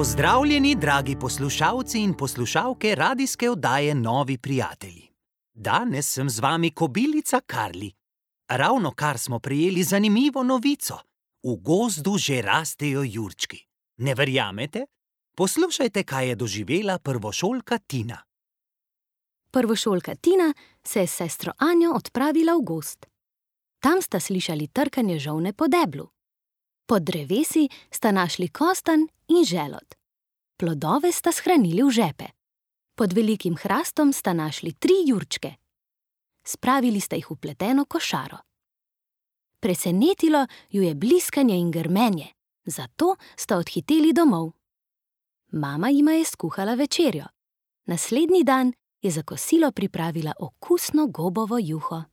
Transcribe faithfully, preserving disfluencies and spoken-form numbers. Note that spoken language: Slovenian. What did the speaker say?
Pozdravljeni, dragi poslušalci in poslušalke radijske oddaje Novi prijatelji. Danes sem z vami kobilica Karli. Ravnokar smo prejeli zanimivo novico. V gozdu že rastejo jurčki. Ne verjamete? Poslušajte, kaj je doživela prvošolka Tina. Prvošolka Tina se je s sestro Anjo odpravila v gozd. Tam sta slišali trkanje žolne po deblu. Pod drevesi sta našli kostanj in želod. Plodove sta shranili v žepe. Pod velikim hrastom sta našli tri jurčke. Spravili sta jih v pleteno košaro. Presenetilo ju je bliskanje in grmenje, zato sta odhiteli domov. Mama jima je skuhala večerjo. Naslednji dan je za kosilo pripravila okusno gobovo juho.